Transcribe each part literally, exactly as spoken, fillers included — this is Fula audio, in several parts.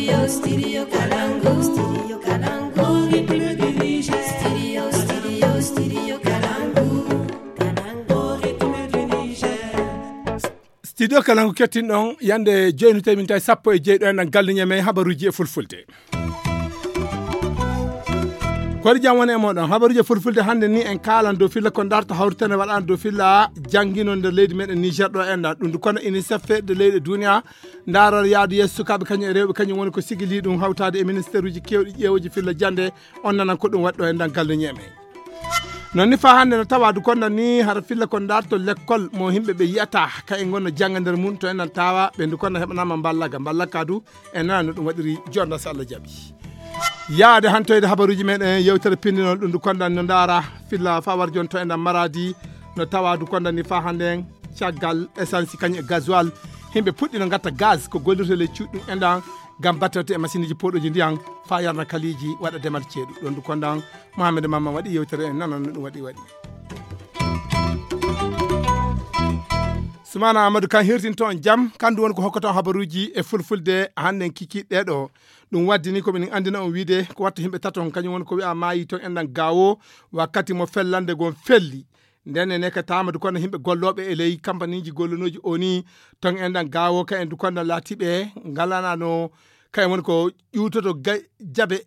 Studio Kalangu. Studio Kalangu. Au rythme du Niger. Studio, studio, studio Kalangu. Kalangu, au rythme du Niger. Studio Kalangu kettin ɗon yande joyni temin tawi sappo e jeeɗo en ɗan galluñe men habaruji e fulfulde. Koɗi jam woni e moɗon habaruji e fulfulde hannde ni en kaalan dow filla ko darto hawritene waɗano dow filla jannginol nder leydi meɗen Niger ɗo enɗan ɗum ndu kono unicef fedde leyɗe duniya. Ndaaror yaadu yeeso sukaaɓe kañum e rewɓe kañum woni ko sigili ɗum hawtaade e ministère uji kewɗi ƴeewuji filla jannde. On nanan ko ɗum waɗɗo e ndan galluñe men. Non ni faa hannde no tawa du konda ni hara filla ko darto lekkol mo himɓe ɓe yiyata ka en gonno jannga nder mum to en nan tawa ɓe ndu konda heɓanama mballaga mballaga du. En nana no ɗum waɗiri jonda so Allah jaɓi. Yaade hantoyde habaruji meɗen yewtere pindinol ɗum du konda no ndaara filla faa war jon to en nan maradi. No tawa du konda ni faa hannde en caggal essence kañum e gasoil. Himɓe puɗɗino gatta gaz ko gollirta ley cuuɗi ɗum enɗan ngam battete e masineji poɗoji ndiyan faa yarna kaliiji waɗa demal ceeɗu ɗon du kondan. Mohamed Mamma waɗi yewtere en nanan no ɗum waɗi waɗi. Sumana Amadou kan hirtinto on jam kandu woni ko hokkoto on habaruji e fulfulde hannden kikiɗɗe ɗo. Ɗum waddini ko min anndina on wiide ko watta himɓe taton kañum woni ko wi'a maayi ton enɗan gaawo wakkati mo fellande gon felli. Nden ene ka tamadu kono himɓe gollooɓe e ley kampaniji gollonooji o ni ton enɗan gaawo ka en du kondan laatiɓe ngalanano ka en woni ko ƴuutoto jabe.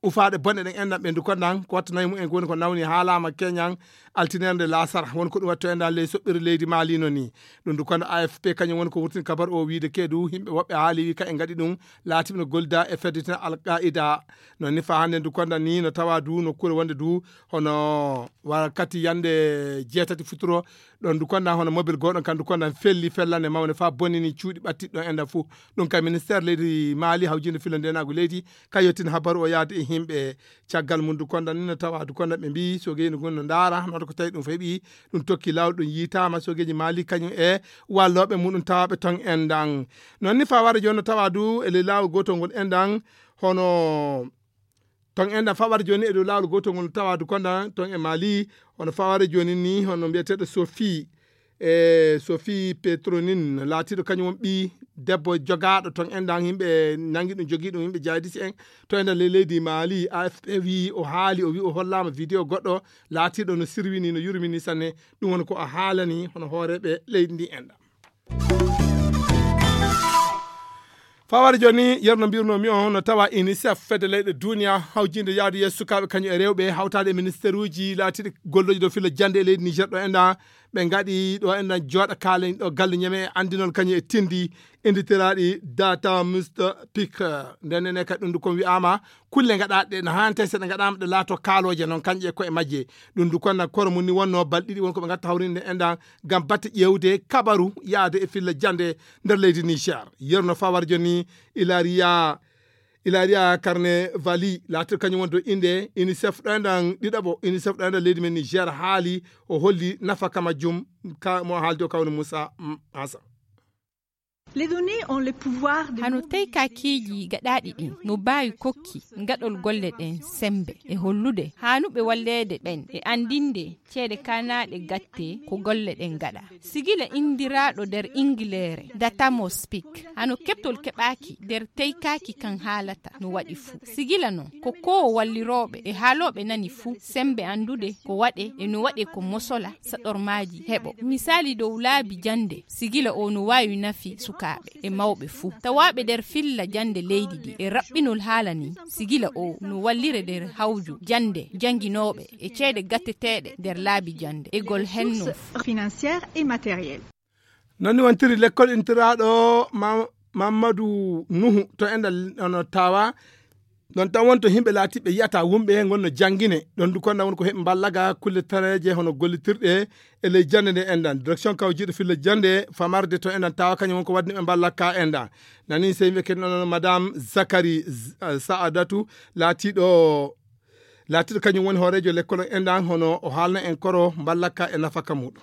Ufaaɗe bonɗe ɗen enɗan ɓe du kondan ko watta nayi mumen ko woni ko nawni haalama keñan altinerde lasara woni ko ɗum watto enɗan ley soɓɓiri leydi maali no ni. Ɗum du kondan afp kañum woni ko wurtini kabar o wiide keedu himɓe woɓɓe haali wi ka en gaɗi ɗum laatiɓe no golda e feddetina alqaida. Non ni fa hannde du kondan ni no tawa du nokkure wonde du hono wakkati yande jeetati futuro. Ɗon du kondan hono mobile goɗon kan du kondan felli fellande mawne fa bonini cuuɗi ɓattiɗi ɗon enɗan fuu. Ɗum ka ministère leydi maali hawjinde filla ndenagu leydi ka yettin habaru o yaade e himɓe. Caggal mum du kondan ni no tawa du kondan ɓe mbi sogeji gun no ndaara noto ko tawi ɗum feeɓi. Ɗum tokki lawol ɗum yiitama sogeji maali kañum e walloɓe muɗum tawaɓe ton enɗan. Non ni fa wara joni no tawa du e ley lawol gotol ngol enɗan hono ton enɗan faɓata joni e dow laawol gotol ngol tawa du konda ton e maali. Hono faɓata joni ni hono mbiyeteɗo sophie e sophie petronin laatiɗo kañum won ɓi debbo jogaaɗo ton enɗan yimɓe nangi ɗum jogii ɗum yimɓe jaydi si en to enɗan ley leydi maali afp wi o haali o wi o hollama vidéo goɗɗo laatiɗo no sirwini no yurmini sanne. Ɗum woni ko o haalani hono hooreɓe leydi ndi enɗan. Fawade joni yerno mbirnomi on no tawa unicef fedde leyɗe duniya hawjinde yaadu yeeso sukaaɓe kañum e rewɓe hawtaade e ministère uji laatiɗi golloji ɗo filla jande e leydi niger ɗo enɗa ɓe gaɗi ɗo enɗan jooɗa kaalen ɗo galle ñame e andinol kañum e tindi inditiraɗi data musta pic. Nden nene kadi ɗum du kon wi'ama kulle gaɗaɗe ɗe no hante seɗe gaɗama ɗe laato kaaloje noon kañƴe e koye majje. Ɗum du konna koro mum ni wonno balɗe ɗiɗi won koɓe gatta hawrinde enɗan ngam batte ƴewde kabaru yaade e filla jande nder leydi niger. Yerno fawar joni ilaria ilaria carne vali latir kañum won do inde unicef ɗo enɗan ɗiɗaɓo unicef ɗo enɗan leydi men niger haali o holli nafaka majjum ka mo haaldi o kawni moussa. Hassan. Les données ont le pouvoir de hano teykakiiji gaɗaaɗi ɗin no mbaawi kokki ngaɗol golle ɗen semmbe e hollude haanuɓe walleede ɓen e anndinde ceede kaanaaɗe gatte ko golle ɗen ngaɗa. Sigila inndiraaɗo nder Ingileere Datamo Speak hano keɓtol keɓaaki nder teykaaki kan haalata no waɗi fuu. Sigila non ko koo wallirooɓe e haalooɓe nani fuu semmbe anndude ko waɗe e no waɗe ko mosola saɗormaaji heɓo. Misaali dow laabi jannde. Sigila o no waawi nafi sukaaɓe e mawɓe fuu tawaaɓe nder filla jannde leydi ndi e raɓɓinol haala ni. Sigila o no wallire nder hawju jannde jannginooɓe e ceede gatteteeɗe nder laabi jannde e gol henno financière et matériel. Non ni wontiri lekkol intiraaɗo mamadou nuhu to enɗa no tawa ɗon tan wonto yimɓe laatiɓe yiyata wumɓe ngonno janngine. Ɗon du konɗan woni ko heɓi mballaga kulle tareeje hono gollitirɗe e ley jannde nde enɗan direction kawjiiɗo filla jannde famarde to enɗan tawa kañum won ko waɗni ɓe mballaka enɗan. Nani sey mbiye kadi noon madame zakari saadatu laatiɗo laatiɗo kañum woni hooreejo lekkol on enɗan hono o haalna en koro mballaka e nafaka muɗum.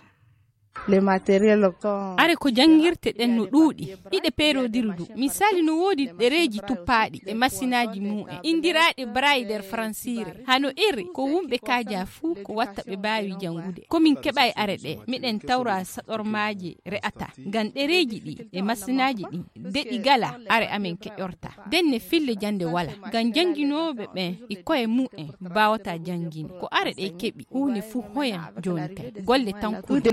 Are ko janngirte ɗen no ɗuuɗi, hiɗe peerodiri du. Misaali, no woodi ɗereeji tuppaaɗi e masinaaji mum en, inndiraaɗe braille nder faransiire. Hano iri ko wumɓe kaaja fuu, ko watta ɓe mbaawi janngude. Ko min keɓay are ɗe, miɗen tawra saɗormaaje re'ataa. Ngam ɗereeji ɗi e masinaaji ɗi, de ɗi gala, are amen keƴorta. Denne fille jannde wala. Ngam jannginooɓe ɓen e koye mum en mbaawataa jannginde. Ko are ɗe keɓi, huunde fuu hoyan jooni kay. Golle tan kuli.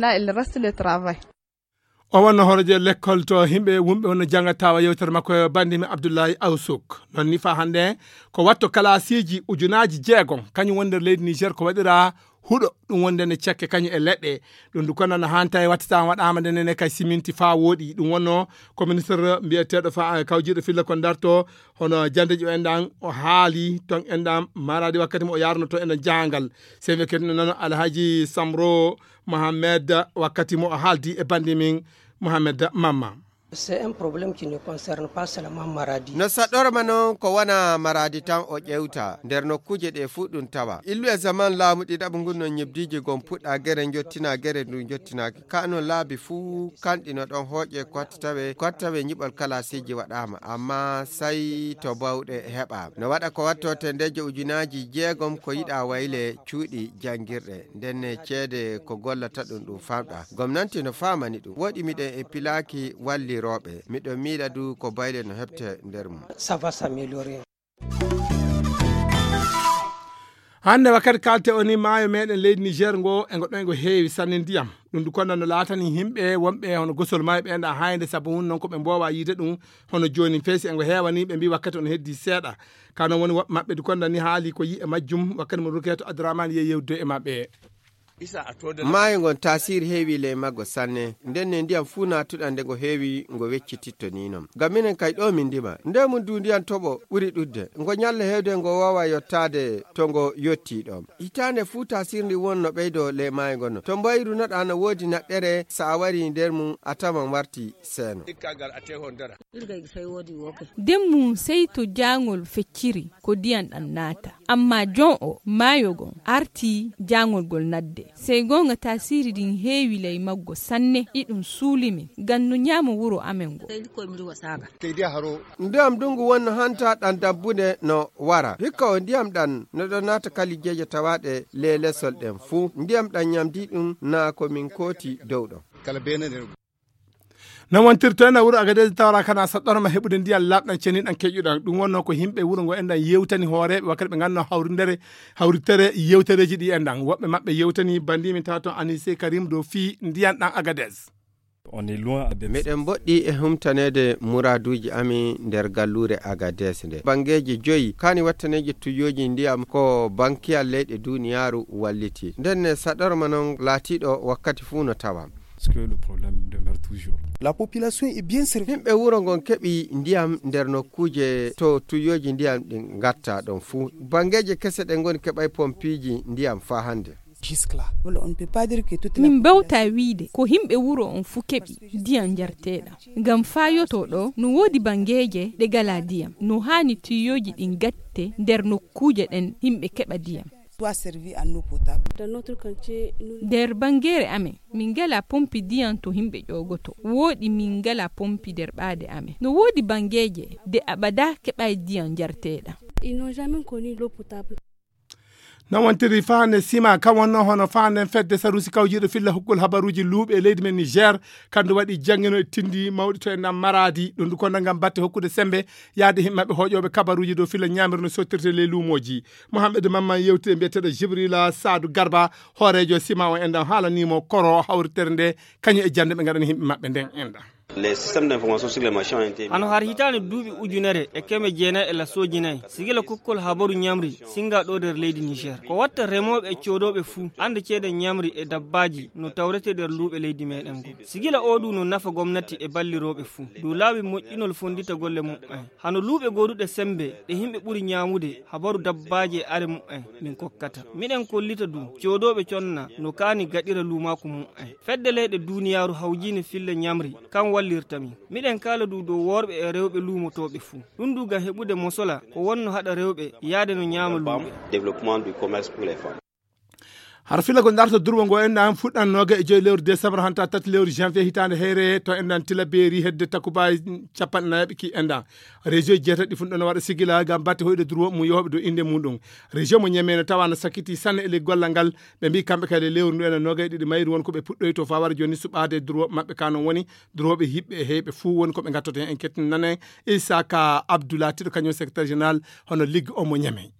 O wonno hooreejo lekkol to himɓe wumɓe wonno jannga tawa yewtere makko e banndi mi Abdullahi Awsuk. Non ni fa hannde ko watto kalaasiiji ujunaaji jeegom, kañum woni nder leydi Niger ko waɗira huɗo, ɗum wonde ne cekke kañum e leɗɗe. Ɗum du kono no hanta e wattata waɗaama nde nene kay siminti fa wooɗi. Ɗum wonno ko ministre mbiyeteeɗo fa kawjiiɗo filla kon darto hono jandeji o enɗan o haali ton enɗan maradi wakkati mo o yarnoto enɗan jahangal. Sey wiyete no nano Alhaji Samro Mohamed wakkati mo o haaldi e banndi min Mohamed Mamma. C'est un problème qui ne concerne pas seulement Maradi. No saɗɗorma noon ko wona Maradi tan o ƴeewta, nder nokkuuje ɗe fuu ɗum tawa. Illu e zaman laamu ɗiɗaɓu ngun noon ñebdiiji gom puɗɗa gere njottina gere ndu jottinaaki. Ka noon laabi fuu kanɗi no ɗon hooƴe ko watta tawe, ko watta tawe ñiɓol kalaasiiji waɗaama, amma sey to bawɗe heɓaama. No waɗa ko watto tendeeje ujunaaji jeegom ko yiɗa wayle cuuɗi janngirɗe. Ndenne ceede ko gollata ɗum ɗum famɗa. Gomnanti no faamani ɗum. Woɗi miɗen e pilaaki wallirooɓe. Miɗo miila du ko bayle no heɓte nder mum. Ça va s'améliorer. Hannde wakkati kalte o ni maayo meɗen leydi Niger ngo e ngo ɗon ngo heewi sanne ndiyam. Ɗum du kono no laatani yimɓe wonɓe hono gosol maayo ɓe enɗa haynde sabu hun noon ko ɓe mboowa yiide ɗum hono jooni feesi e ngo heewani ɓe mbi wakkati on heddi seeɗa. Ka noon woni woɓɓe maɓɓe du kono ni haali ko yi e majjum wakkati mo Rukeeto Abdourahmane yehi yewdude e maɓɓe. Maayo ngon taasiri heewi ley maggo sanne. Ndenne ndiyam fuu naatuɗam nde ngo heewi ngo weccititto ni non. Ngam minen kay ɗo min ndima. Nde mum du ndiyam toɓo ɓuri ɗudde. Ngo ñalla heewde ngo waawa yottaade to ngo yotti ɗon. Hitaande fuu taasiri ndi won no ɓeydo ley maayo ngon no. To mbayru noɗa no woodi naɗɗere sa a wari nder mum a tawan warti seeno. Nden mum sey to jaangol fecciri ko ndiyam ɗam naata. Amma jon o maayo gon arti jaangol gol nadde. Sey goonga taasiri ndin heewi ley maggo sanne, iɗum suuli min, ngam no ñaama wuro amen ngo. Ndiyam ndungu wonno hanta ɗam dabbunde no wara. Hikka o ndiyam ɗam no ɗon naata kalijeeje tawaaɗe ley lesol ɗen fuu. Ndiyam ɗam ñamdi ɗum naa ko min kooti dow ɗon. Kala beenane. No wontirto en e wuro Agadez tawra kana saɗɗorma heɓude ndiyan laaɓɗan ceniɗan keƴuɗan. Ɗum wonno ko yimɓe wuro ngo enɗan yewtani hooreeɓe wakkati ɓe nganno hawrindere, hawritere yewtereeji ɗi enɗan. Woɓɓe maɓɓe yewtani banndi min tawa toon Anise Karim dow fii ndiyan ɗan Agadez. On est loin de. Miɗen mboɗɗi e humtaneede muraaduuji amin nder galluure Agadez nde. Banngeeji joyi kaani wattaneeji tuyooji ndiyam ko bankiyal leyɗe duuniyaaru walliti. Nden ne saɗorma non laatiiɗo wakkati fuu no tawa. Parce que le problème demeure toujours. La population est bien servie. Yimɓe wuro ngon keɓi ndiyam nder nokkuuje to tuyooji ndiyam ɗin ngatta ɗon fuu. Banngeeje kese ɗe ngoni keɓay pompiiji ndiyam faa hannde. Jusque-là. Voilà, on ne peut pas dire que toute la population. Min mbawta wiide ko yimɓe wuro on fuu keɓi ndiyam njarteeɗam. Ngam faa yotoo ɗo, no woodi banngeeje ɗe ngalaa ndiyam. No haani tuyooji ɗin ngatte nder nokkuuje ɗen yimɓe keɓa ndiyam. Soit servi en eau potable. Dans notre quartier, nous. Nder banngeere amen, min ngalaa pompi ndiyam to yimɓe ƴoogotoo. Wooɗi min ngalaa pompi nder ɓaade amen. No woodi banngeeje de abada keɓaay ndiyam njarteeɗam. Ils n'ont jamais connu l'eau potable. No wontiri faande sima, kam wonno hono faande fedde sarusi kawjiiɗo filla hukkol habaruuji luuɓe e leydi men Niger, kandu waɗi janngino e tindi mawɗi to e nam Maradi, ɗum du kono ngam batte hokkude sembe yaade himɓe maɓɓe hoƴooɓe kabaruuji dow filla ñaamirno sottirte ley luumooji. Mohammed Mamman yewti e mbiyeteeɗo Jibrila Saadu Garba, hooreejo sima o enɗan haalanimo koro hawritere nde, kañum e jannde ɓe ngaɗani himɓe maɓɓe nden enɗan. Les systèmes d'information sur les marchés ont été mis. Hano har hitaande duuɓi ujunere e keme jeenayi e lasooji nayi, sigila kokkol habaru ñamri singa ɗo nder leydi Niger. Ko watta remooɓe e coodooɓe fuu, annda ceede ñamri e dabbaaji no tawrete nder luuɓe leydi meɗen ngo. Sigila o du no nafa gomnati e ballirooɓe fuu. Dow laawi moƴƴinol fonndita golle mum en. Hano luuɓe gooduɗe sembe ɗe himɓe ɓuri ñaamude habaru dabbaaji e are mum en min kokkata. Miɗen kollita du coodooɓe conna no kaani gaɗira luumaaku mum en. Fedde leyɗe duuniyaaru hawjiine filla ñamri, kan wallirta min. Miɗen kaala du dow worɓe e rewɓe luumotooɓe fuu. Ɗum du ngam heɓude mosola ko wonno haɗa rewɓe yaade no ñaama luuɓe. Développement du commerce pour les femmes. Hara filla ko darta durwo ngo enɗan fuɗɗan noga e joyi lewru décembre hanta tati lewru janvier hitande here to enɗan tila beeri hedde takubaji capanɗe nayaɓe ki enɗan. Région jeetati ɗi funɗo no waɗa sigila ngam batte hoyɗo durwo mum yohoɓe dow inde muɗum. Région mo ñeme no tawa no sakiti sanne e ley gollal ngal. Ɓe mbi kamɓe kadi e lewru ndu enen noga e ɗiɗi mayru won ko ɓe puɗɗoyto fawara joni suɓade durwo maɓɓe ka non woni durwoɓe hiɓɓe e heyɓe fuu woni ko ɓe gattoto hen en kettinane. Isaka Abdoulaye Tiɗo kañum secrétaire général hono ligue o mo ñeme.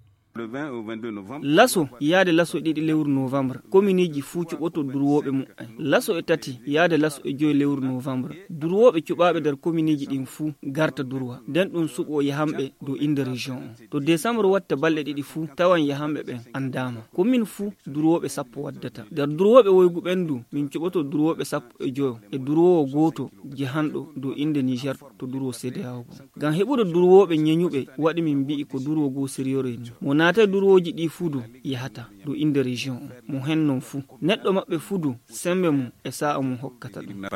Laso yaade laso ɗiɗi lewru novembre kominiji fuu cuɓoto durwooɓe muɓɓen. Laso e tati yaade laso e joyi lewru novembre durwooɓe cuɓaaɓe nder kominiji ɗin fuu garta durwa nden ɗum suɓo yahanɓe dow innde région on. To décembre watta balɗe ɗiɗi fuu tawan yahanɓe ɓen anndaama. Komin fuu durwooɓe sappo waddata. Nder durwooɓe woygu ɓen du min cuɓoto durwooɓe sappo e joyo e durwoowo gooto jehanɗo dow innde Niger to durwo C D A O goo. Ngam heɓude durwooɓe ñeñuɓe waɗi min mbi'i ko durwo goo sérieux ni. Mo naatay durwooji ɗii fuu du yahata dow innde région on. Mo hen non fuu. Neɗɗo maɓɓe fuu du semmbe mum e saa'a mum hokkata ɗum.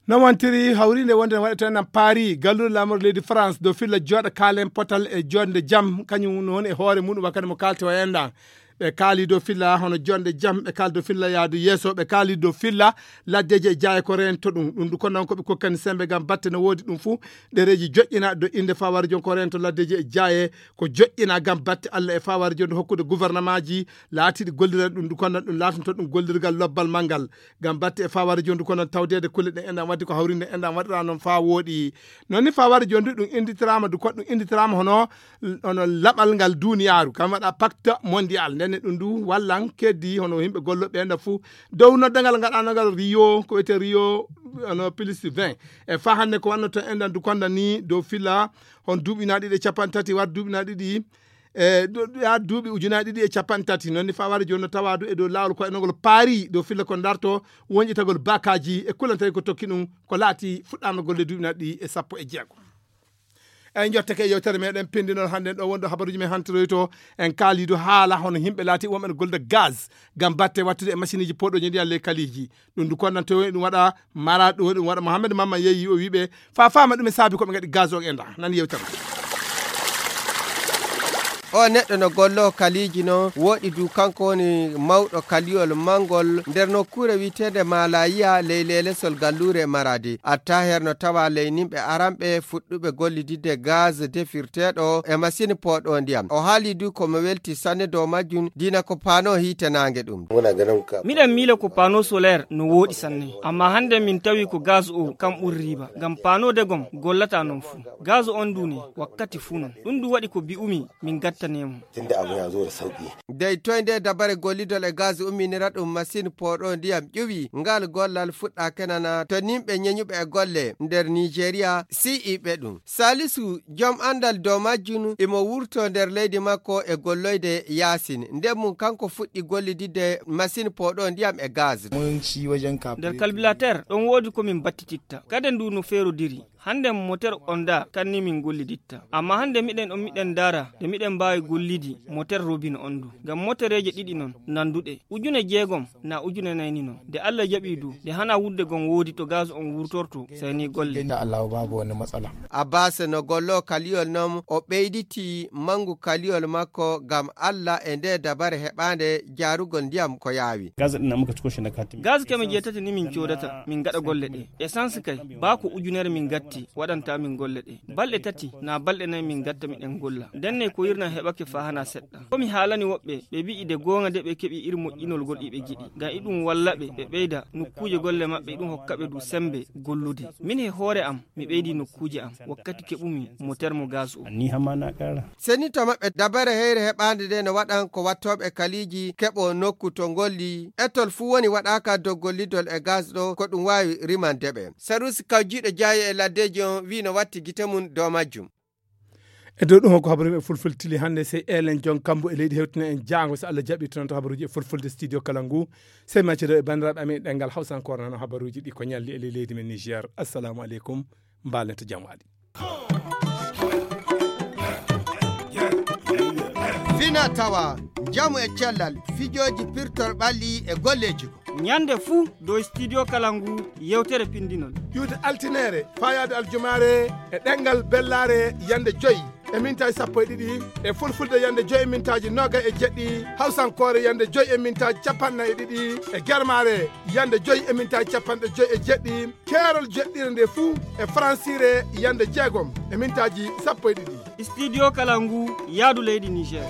Non wontiri hawriinde wonde no waɗete nan paari galluɗo laamorde leydi France dow filla jooɗa kaalen potal e joɗnde jam kañum noon e hoore muɗum wakkati mo kaalte o enɗan. Ɓe kaali dow filla hono jonde jam ɓe kaali dow filla yaadu yeeso ɓe kaali dow filla laddeji e jaaye ko rento ɗum ɗum du ko noon koɓe kokkani sembe ngam batte no woodi ɗum fuu. Ɗereji joƴƴina do innde faware jon ko rento laddeji e jaaye ko joƴƴina ngam batte allah e faware jon hokkude gouvernementji laatiɗi golliran ɗum du ko noon ɗum laatanto ɗum gollirgal lobbal manngal. Ngam batte e faware jon du ko noon tawdeede kulle ɗen enɗan wadde ko hawrinde enɗan waɗira noon faa wooɗi. Noon ni faware jon du ɗum innditiraama du ko ɗum innditiraama hono hono laɓal ngal duniyaaru kam waɗa pacte mondial ndenne ɗum du wallan keddi hono yimɓe golloɓe ɓe enɗan fuu. Dow noddangal ngaɗanongal rio ko wiyete rio hono plus vingt e faa hannde ko wannoto enɗan du konda ni dow fila hon duuɓi na ɗiɗi e capanɗe tati war duuɓi na ɗiɗi e ya duuɓi ujunaaji ɗiɗi e capanɗe tati noon ni faware jooni no tawa du e dow laawol ko enogol paari dow filla ko darto wonƴitagol bakaji e kullantari ko tokki ɗum ko laati fuɗɗaama golle duuɓi na ɗiɗi e sappo e jeego. Eyi jotteke e yewtere meɗen pindinol hannden ɗo wonɗo habaruji men hantiroyto en kaalidu haala hono yimɓe laati wonɓe no gollude gaz ngam batte wattude e machine uji poɗoji ndi alle kaliji. Ɗum du konnan to ɗum waɗa mara ɗum ɗum waɗa mohammed mamma yeeyi o wiɓe fa fama ɗum e saabi ko ɓe gaɗi gaz o e nda nan yewtere. O neɗɗo no gollo kaliiji no woɗi du kanko woni mawɗo kaliyol manngol nder nokkuure wiyeteende malayiya ley lelesol galluure maradi attaher no tawa ley nimɓe aranɓe fuɗɗuɓe gollididde gaz defirteeɗo e masini pooɗo ndiyam o haali du ko mo welti sanne dow majjum dina ko paano hiite naange ɗum. Miɗen miila ko paano solaire no wooɗi sanne amma hannde min tawi ko gaz o kam ɓuri riiba ngam paano degom gollata non fuu. Gaz on du ne wakkati fuu non ɗum du waɗi ko bi'umi min gattane mo. Dey toy nde dabare gollidol e gaz umminira ɗum machine pooɗo ndiyam ƴuwi ngal gollal fuɗɗa kenana to nimɓe ñeñuɓe e golle nder nigeria si'iɓe ɗum. Salisu joom anndal dow majjum imo wurto nder leydi makko e golloyde yaasin nden mum kanko fuɗɗi gollididde machine pooɗo ndiyam e gaz. Nder kalbilater ɗon woodi ko min battititta kade ndu no feerodiri. Hannden moter on da kanni min golliditta amma hannde miɗen on miɗen ndaara nde miɗen mbaawi gollidi moter robin on du ngam motereeje ɗiɗi non nannduɗe ujune jeegom na ujune nayni non nde allah jaɓi du nde hana wudde gon woodi to gaz on wurtorto. Sey ni golle. Abbas no gollo kaliyol non o ɓeyditi manngu kaliyol makko ngam allah e nde dabare heɓaande jaarugol ndiyam ko yaawi. Gaz keme jeetati ni min coodata min gaɗa golle ɗe essence kay baa ko ujunere min gatti waɗanta min golle ɗe balɗe tati na balɗe nayi min gatta miɗen golla ndenne ko yirna heɓake faa hana seɗɗa ko mi haalani woɓɓe ɓe wi'i de goonga de ɓe keɓi ir moƴƴinol gol iɓe giɗi ngam iɗum walla ɓe ɓe ɓeyda nokkuuje golle maɓɓe iɗum hokka ɓe du semmbe gollude min he hoore am mi ɓeydi nokkuuje am wakkati keɓumi mo termo gaz o. Seni to maɓɓe dabare heyre heɓaande nde no waɗan ko wattooɓe kaliiji keɓo nokku to ngolli ettol fuu woni waɗaaka dow gollidol e gaz ɗo ko ɗum waawi rimande ɓe sarusi kawjiiɗo jaayi e laddeeji on wii no watti gite mum dow majjum. E dow ɗum hokko habaru e fulfulde tili hannde sey elen jon kambo e leydi hewtina en jaango so allah jaɓi toon to habaruuji e fulfulde studio kala ngu sey maccido e banndiraaɓe amen e ɗenngal hawsankore nano habaruuji ɗi ko ñalli e ley leydi men niger assalamu aleykum. Mbaalen to jam waali. Fina tawa njamu e cellal fijooji pirtol ɓalli e golleeji goo. Ñande fuu dow studio kala ngu yewtere pindinol. Iwde altineere faayaade aljumaare e ɗenngal bellaare yande joyi. e mintaaji sappo e ɗiɗi, e fulfulde yande joyi e mintaaji noga e jeɗɗi, hawsankoore yande joyi e mintaaji capanɗe nayi e ɗiɗi, e germaare yande joyi e mintaaji capanɗe joyi e jeɗɗi, keerol jeɗɗire nde fuu e faransiire yande jeegom e mintaaji sappo e ɗiɗi. Studio Kalangu, yaadu leydi Niger.